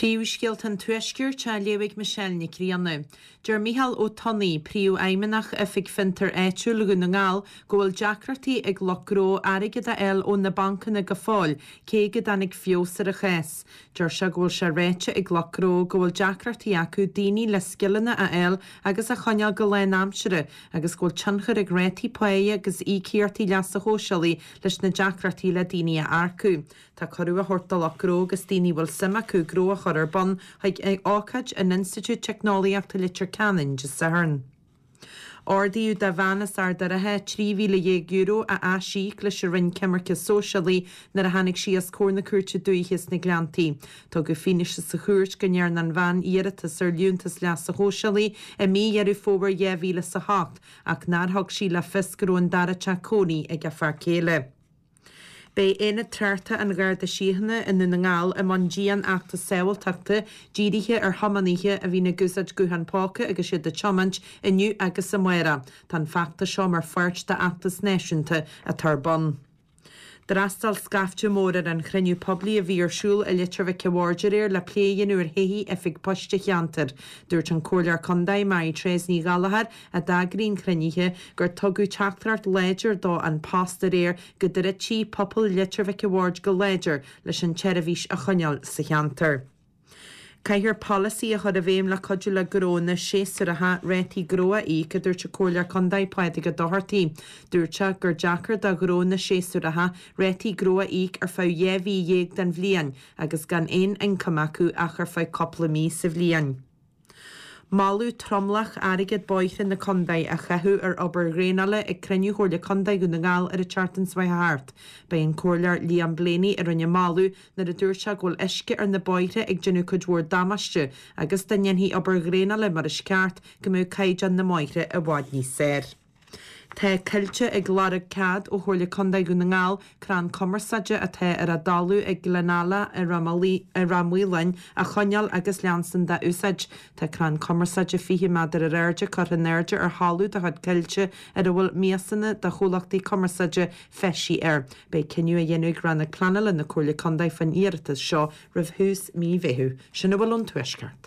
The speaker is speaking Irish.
Príomhscéalta an Tuaiscirt á léamh ag Michelle Nic Grianna. Deir Micheál Ó Tonnaigh, Príomhfheidhmeannach Oifig Fiontair Áitiúil Dhún na nGall, go bhfuil deacrachtaí ag lucht gnó airgead a fháil ó na bancanna go fóill, cé go dtáinig feabhas ar an chás. Deir sé go bhfuil sé ráite ag lucht gnó go bhfuil deacrachtaí acu daoine le scileanna a fháil agus a choinneáil go lánaimseartha agus go bhfuil tionchar ag rátaí páighe agus íocaíochtaí leasa shóisialaigh leis na deacrachtaí le daoine a earcú. Tá cuireadh á thabhairt do lucht gnó agus daoine a bhfuil suim acu gnó a chur ar bun chuig ócáid in Institiúid Teicneolaíochta Leitir Ceanainn Dé Sathairn. Ordaíodh do bhean as Ard an Rátha €13,000 a aisíoc leis an Roinn Coimirce Sóisialaí nuair a tháinig sí os comhair na Cúirte Dúiche sna Gleanntaí. Tugadh fianaise sa chúirt go ndearna an bhean iarratas ar Liúntas Leasa Shóisialaigh i mí Dheireadh Fómhair 2008 ach nár thug sí le fios go raibh an dara teach cónaí ag a fear céile. Beidh Aonad Tráchta an Gharda Síochána i nDún na nGall i mbun dian-fheachtas sábháilteachta dírithe ar thiománaithe a bhíonn ag úsáid guthán póca agus iad ag tiomáint, inniu agus amárach. Tá an feachtas seo mar pháirt d'fheachtas náisiúnta atá ar bun. D'fhreastail scaifte mór ar an chruinniú poiblí a bhí ar siúl i Leitir Mhic a' Bhaird aréir le plé a dhéanamh ar thodhchaí Oifig Poist an cheantair. Dúirt an Comhairleoir Contae, Mary Therese Ní Ghallchóir, a d'eagraigh an cruinnithe, gur tugadh teachtaireacht láidir do An Post aréir go dtroidfidh pobal Leitir Mhic a' Bhaird go láidir leis an tseirbhís a choinneáil sa cheantar. Caithfear polasaí a chur i bhfeidhm le cuidiú le gnónna séasúracha rátaí gnó a íoc, a dúirt an Comhairleoir Contae Pádraig Ó Dochartaigh. Dúirt sé gur deacair do ghnónna séasúracha rátaí gnó a íoc ar feadh 12 mhí den bhliain agus gan aon ioncam acu ach ar feadh cúpla mí sa bhliain. Moladh tromlach airgead bóithre na contae a chaitheamh ar obair dhraenála ag cruinniú Chomhairle Contae Dhún na nGall ar an tseachtain seo chuaigh thart. Ba é an Comhairleoir Liam Blaney a rinne an moladh nuair a dúirt sé go bhfuil uisce ar na bóithre ag déanamh cuid mhór damáiste agus dá ndéanfaí obair dhraenála mar is ceart go mbeadh caighdeán na mbóithre i bhfad níos fearr. Tá Coillte ag lorg cead ó Chomhairle Contae Dhún na nGall crann cumarsáide atá ar an dtalamh ag Gleann Ealla i Ráth Maoláin a choinneáil agus leanstan dá úsáid. Tá crann cumarsáide 20 méadar ar airde curtha in airde ar thalamh de chuid Coillte ar a bhfuil miasanna de chomhlachtaí cumarsáide feistithe air. Beidh cinneadh á dhéanamh ag Rannóg Pleanála na Comhairle Contae faoin iarratas seo roimh thús mí Mheithimh. Sin a bhfuil ón Tuaisceart.